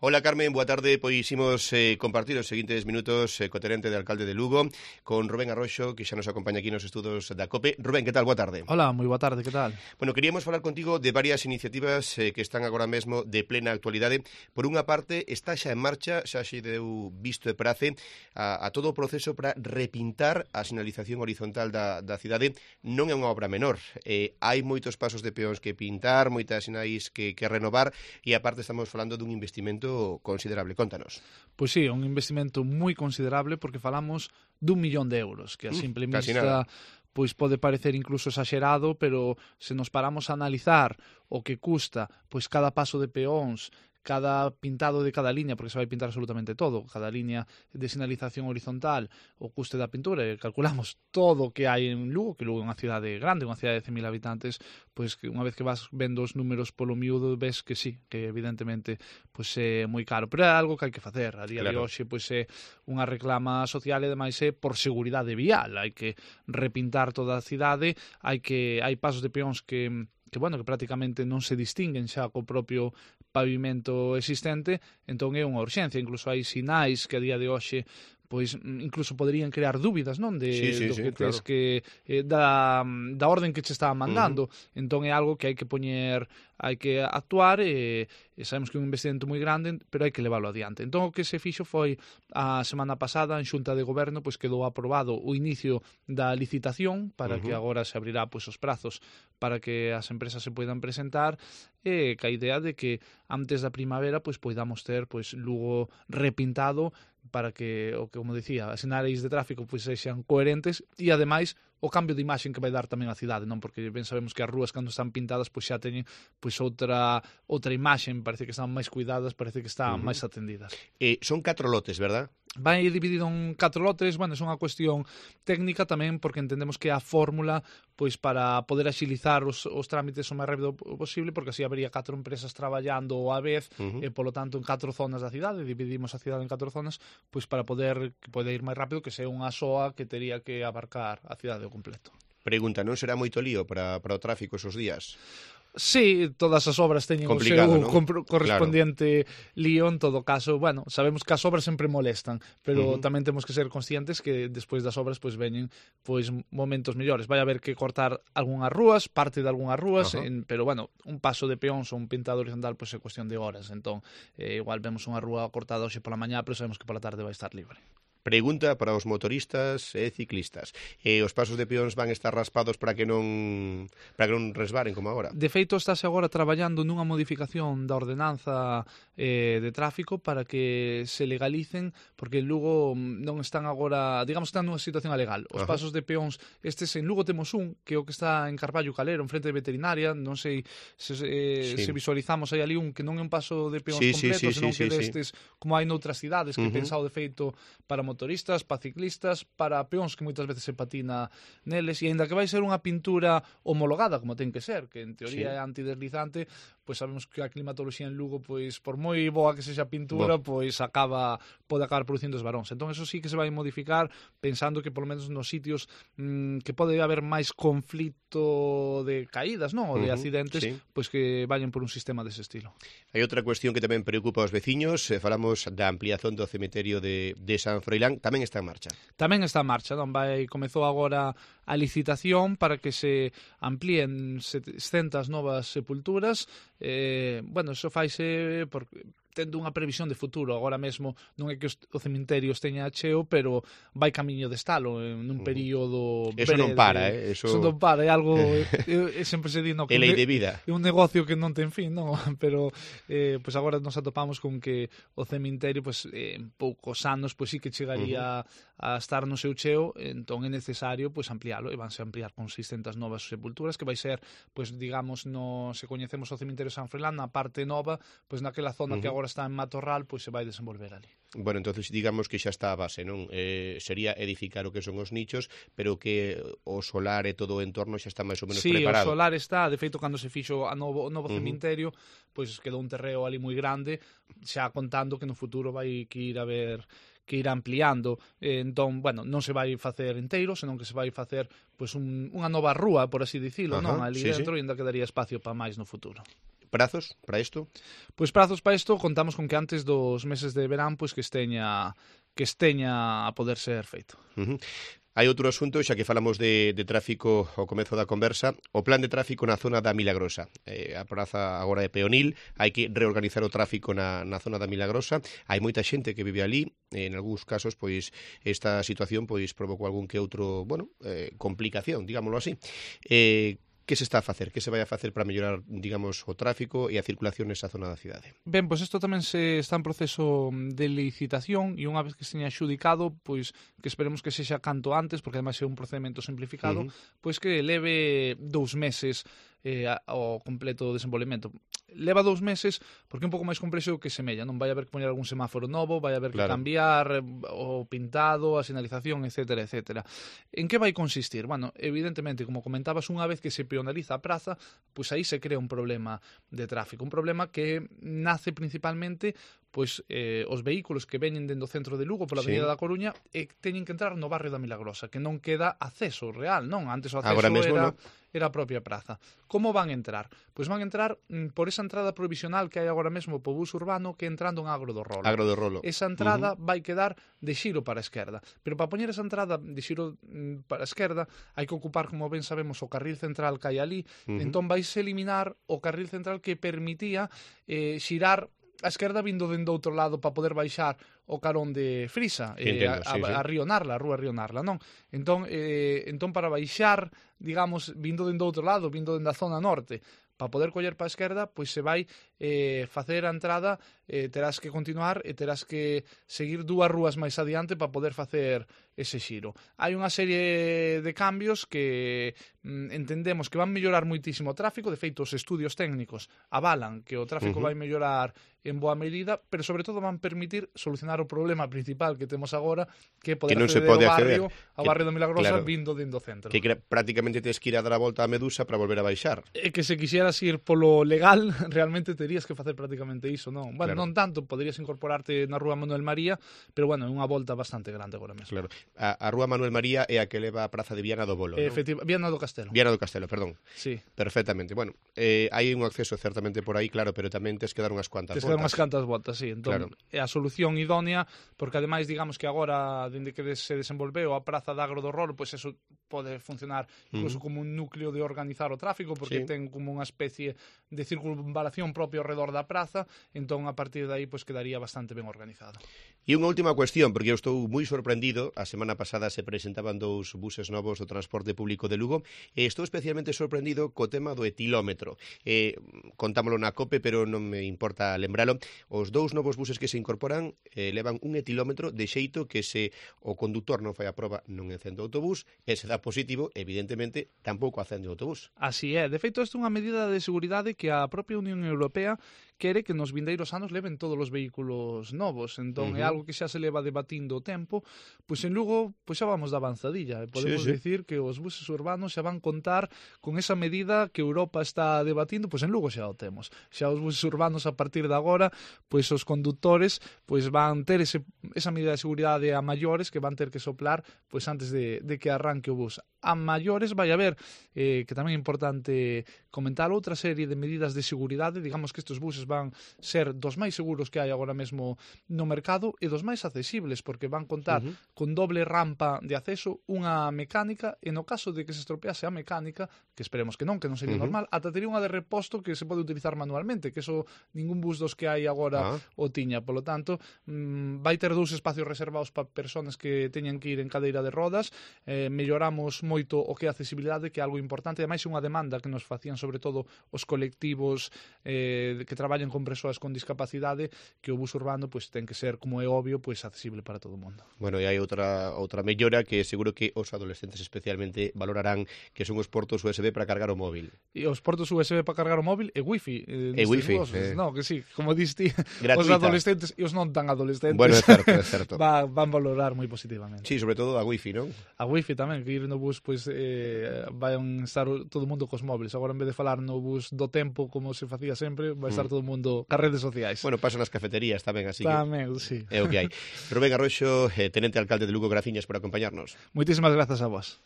Hola Carmen, boa tarde. Pois imos compartir os seguintes minutos co tenente de alcalde de Lugo con Rubén Arroxo, que xa nos acompaña aquí nos estudos da COPE. Rubén, que tal? Boa tarde. Hola, moi boa tarde, que tal? Bueno, queríamos falar contigo de varias iniciativas que están agora mesmo de plena actualidade. Por unha parte, está xa en marcha, xa xe deu visto e prace a todo o proceso para repintar a sinalización horizontal da cidade. Non é unha obra menor. Hai moitos pasos de peóns que pintar, moitas sinais que renovar e aparte estamos falando dun investimento considerable. Contanos. Pois sí, un investimento moi considerable porque falamos d'1 millón de euros, que a simple vista pois pode parecer incluso exagerado, pero se nos paramos a analizar o que custa pois cada paso de peóns, cada pintado de cada liña, porque se vai pintar absolutamente todo, cada liña de sinalización horizontal, o custe da pintura, e calculamos todo o que hai en Lugo, que Lugo é unha cidade grande, unha cidade de 100.000 habitantes, pois que unha vez que vas vendo os números polo miúdo, ves que sí, que evidentemente pois é moi caro, pero é algo que hai que facer. A día de hoxe pois é unha reclama social e demais é por seguridade vial, hai que repintar toda a cidade, hai pasos de peóns que prácticamente non se distinguen xa co propio pavimento existente, entón é unha urxencia. Incluso hai sinais que a día de hoxe pois incluso poderían crear dúbidas, non, do que tes que da orden que che está mandando. Entón é algo que hai que poñer, hai que actuar e sabemos que é un investimento moi grande, pero hai que leválo adiante. Entón o que se fixo foi a semana pasada en Xunta de Goberno pois quedou aprobado o inicio da licitación para que agora se abrirá pois os prazos para que as empresas se poidan presentar e ca idea de que antes da primavera pois poidamos ter pois Lugo repintado para que, como dicía, as sinais de tráfico pois sexan coherentes e, ademais, o cambio de imaxen que vai dar tamén a cidade, non? Porque ben sabemos que as rúas, cando están pintadas, pois xa teñen pois outra imaxen, parece que están máis cuidadas, parece que están máis atendidas. Son 4 lotes, verdad? Vai dividido en 4 lotes, é unha cuestión técnica tamén, porque entendemos que é a fórmula pois para poder axilizar os trámites o máis rápido posible, porque así habería 4 empresas traballando á vez, e polo tanto en 4 zonas da cidade, dividimos a cidade en 4 zonas, pois para poder ir máis rápido, que sea unha soa que tería que abarcar a cidade ao completo. Pregunta, non será moito lío para o tráfico esos días? Sí, todas as obras teñen o seu correspondiente lío. En todo caso, sabemos que as obras sempre molestan, pero tamén temos que ser conscientes que despois das obras pois veñen pois momentos mellores. Vai haber que cortar algunhas rúas, parte de algunhas rúas, pero un paso de peóns ou un pintado horizontal pois é cuestión de horas. Entón, igual vemos unha rúa cortada hoxe pola mañá, pero sabemos que pola tarde vai estar libre. Pregunta para os motoristas e ciclistas. Os pasos de peóns van estar raspados para que non resbaren como agora? De feito, estáse agora traballando nunha modificación da ordenanza de tráfico para que se legalicen, porque en Lugo non están agora, digamos, están nunha situación alegal. Os pasos de peóns, estes en Lugo temos un, que é o que está en Carballo Calero, en frente de veterinaria, non sei se visualizamos aí ali un que non é un paso de peóns completo, senón que destes, como hai noutras cidades, que pensado de feito para motoristas, para ciclistas, para peóns que moitas veces se patina neles, e aínda que vai ser unha pintura homologada, como ten que ser, que en teoría é antideslizante, pois sabemos que a climatoloxía en Lugo, pois por moi boa que sexa a pintura, pois pode acabar producindo esvaróns. Entón, eso sí que se vai modificar, pensando que polo menos nos sitios que pode haber máis conflito de caídas, non? Ou de accidentes, pois que vayan por un sistema dese estilo. Hai outra cuestión que tamén preocupa aos veciños, falamos da ampliación do cemiterio de San Froilán, tamén está en marcha. Tamén está en marcha, non? Comezou agora a licitación para que se amplíen 700 novas sepulturas. Eso faise tendo unha previsión de futuro. Agora mesmo non é que o cemiterio esteña cheo, pero vai camiño de estalo nun período breve. Eso non para, Eso non para, é algo sempre se di, é lei de vida. É un negocio que non ten fin, non? Pero pois agora nos atopamos con que o cemiterio en poucos anos sí que chegaría a estar no seu cheo, entón é necesario ampliálo, e vanse ampliar con 600 novas sepulturas, que vai ser, digamos, se coñecemos o cemiterio San Froilán, na parte nova, naquela zona que agora está en matorral, se vai desenvolver ali. Bueno, entonces digamos que xa está a base, non? Sería edificar o que son os nichos, pero que o solar e todo o entorno xa está máis ou menos preparado. Sí, o solar está, de feito, cando se fixo o novo cemiterio, quedou un terreo ali moi grande, xa contando que no futuro vai que ir ampliando. Entón, non se vai facer inteiro, senón que se vai facer unha nova rúa, por así dicilo, non? Ali dentro, e ainda quedaría espacio para máis no futuro. Prazos para isto? Pois prazos para isto contamos con que antes dos meses de verán pois que esteña a poder ser feito. Hai outro asunto, xa que falamos de tráfico ao comezo da conversa, o plan de tráfico na zona da Milagrosa. A praza agora é peonil, hai que reorganizar o tráfico na zona da Milagrosa. Hai moita xente que vive ali, en algúns casos, pois, esta situación pois provocou algún que outro, complicación, digámoslo así. Que se está a facer? Que se vai a facer para mellorar, digamos, o tráfico e a circulación nesa zona da cidade? Ben, pois isto tamén se está en proceso de licitación e unha vez que esteña xudicado, pois que esperemos que sexa canto antes, porque ademais é un procedimento simplificado, pois que leve 2 meses ao completo desenvolvemento. Leva 2 meses porque é un pouco máis complexo que semella, non vai haber que poñer algún semáforo novo, vai haber que cambiar o pintado, a sinalización, etcétera, etcétera. En que vai consistir? Bueno, evidentemente, como comentabas, unha vez que se peonaliza a praza, pois aí se crea un problema de tráfico, un problema que nace principalmente pois os vehículos que veñen dentro do centro de Lugo pola avenida da Coruña e teñen que entrar no barrio da Milagrosa, que non queda acceso real, non? Antes o acceso era a propia praza. Como van entrar? Pois van entrar por esa entrada provisional que hai agora mesmo po bus urbano que entrando en Agro do Rolo. Esa entrada vai quedar de xiro para a esquerda. Pero para poñer esa entrada de xiro para a esquerda hai que ocupar, como ben sabemos, o carril central que hai ali. Entón vais eliminar o carril central que permitía xirar a esquerda vindo dende outro lado para poder baixar o carón de Frisa, a Río Narla, a rúa Río Narla, non? Entón para baixar, digamos, vindo dende outro lado, vindo dende a zona norte, para poder coller para a esquerda, pois se vai facer a entrada, terás que continuar e terás que seguir 2 rúas máis adiante para poder facer ese xiro. Hai unha serie de cambios que entendemos que van mellorar moitísimo o tráfico, de feito os estudios técnicos avalan que o tráfico vai mellorar en boa medida, pero sobre todo van permitir solucionar o problema principal que temos agora, que é poder acceder ao barrio do Milagrosa vindo dentro do centro. Que prácticamente tens que ir a dar a volta á Medusa para volver a baixar. E que se quixeras ir polo legal, realmente terías que facer prácticamente iso, non? Bueno, non tanto, poderías incorporarte na rúa Manuel María, pero bueno, é unha volta bastante grande agora mesmo. Claro. A rúa Manuel María é a que leva a praza de Viana do Bolo, non? Viana do Castelo. Viana do Castelo, perdón. Sí. Perfectamente. Bueno, hai un acceso certamente por aí, claro, pero tamén tes que dar unhas cuantas voltas. Unhas cantas voltas, sí. Entón, é a solución idónea, porque ademais, digamos que agora, dende que se desenvolveu a praza de Agro do Rolo, pois eso pode funcionar incluso como un núcleo de organizar o tráfico, porque ten como unha especie de circunvalación propio ao redor da praza, entón a partir de aí pois quedaría bastante ben organizado. E unha última cuestión, porque eu estou moi sorprendido, a semana pasada se presentaban 2 buses novos do transporte público de Lugo, e estou especialmente sorprendido co tema do etilómetro. Contámolo na COPE, pero non me importa lembralo. Os 2 novos buses que se incorporan levan un etilómetro de xeito que se o conductor non fai a proba non encende o autobús, e se dá positivo, evidentemente, tampouco acende o autobús. Así é. De feito, isto é unha medida de seguridade que a propia Unión Europea quere que nos vindeiros anos leven todos os vehículos novos. Entón, é algo que xa se leva debatindo o tempo. Pois en Lugo, pois xa vamos de avanzadilla. Podemos dicir que os buses urbanos xa van contar con esa medida que Europa está debatindo, pois en Lugo xa o temos. Xa os buses urbanos, a partir de agora, pois os condutores pois van ter esa medida de seguridade a maiores que van ter que soplar pois antes de que arranque o bus. A maiores vai haber, que tamén é importante comentar, outra serie de medidas de seguridade. Digamos que estes buses van ser dos máis seguros que hai agora mesmo no mercado e dos máis accesibles, porque van contar con doble rampa de acceso, unha mecánica, e no caso de que se estropease a mecánica, que esperemos que non sería normal, ata tería unha de reposto que se pode utilizar manualmente, que eso ningún bus dos que hai agora o tiña. Polo tanto, vai ter 2 espacios reservados para persoas que teñan que ir en cadeira de rodas. Melloramos moito o que é a accesibilidade, que é algo importante. Ademais, é unha demanda que nos facían sobre todo os colectivos que traballan con persoas con discapacidade, que o bus urbano pois ten que ser, como é obvio, pois accesible para todo o mundo. Bueno, e hai outra mellora que seguro que os adolescentes especialmente valorarán, que son os portos USB para cargar o móvil. E os portos USB para cargar o móvil e wifi. No, que sí, como diste, os adolescentes e os non tan adolescentes. Bueno, é certo. Van valorar moi positivamente. Sí, sobre todo a wifi, non? A wifi tamén, que ir no bus pois van estar todo o mundo cos móviles. Agora, en vez de falar no bus do tempo como se facía sempre, vai estar todo o mundo cas redes sociais. Bueno, pasan nas cafeterías tamén, así tamén, que sí. É o que hai. Rubén Arroxo, tenente alcalde de Lugo, graciñas por acompañarnos. Moitísimas grazas a vos.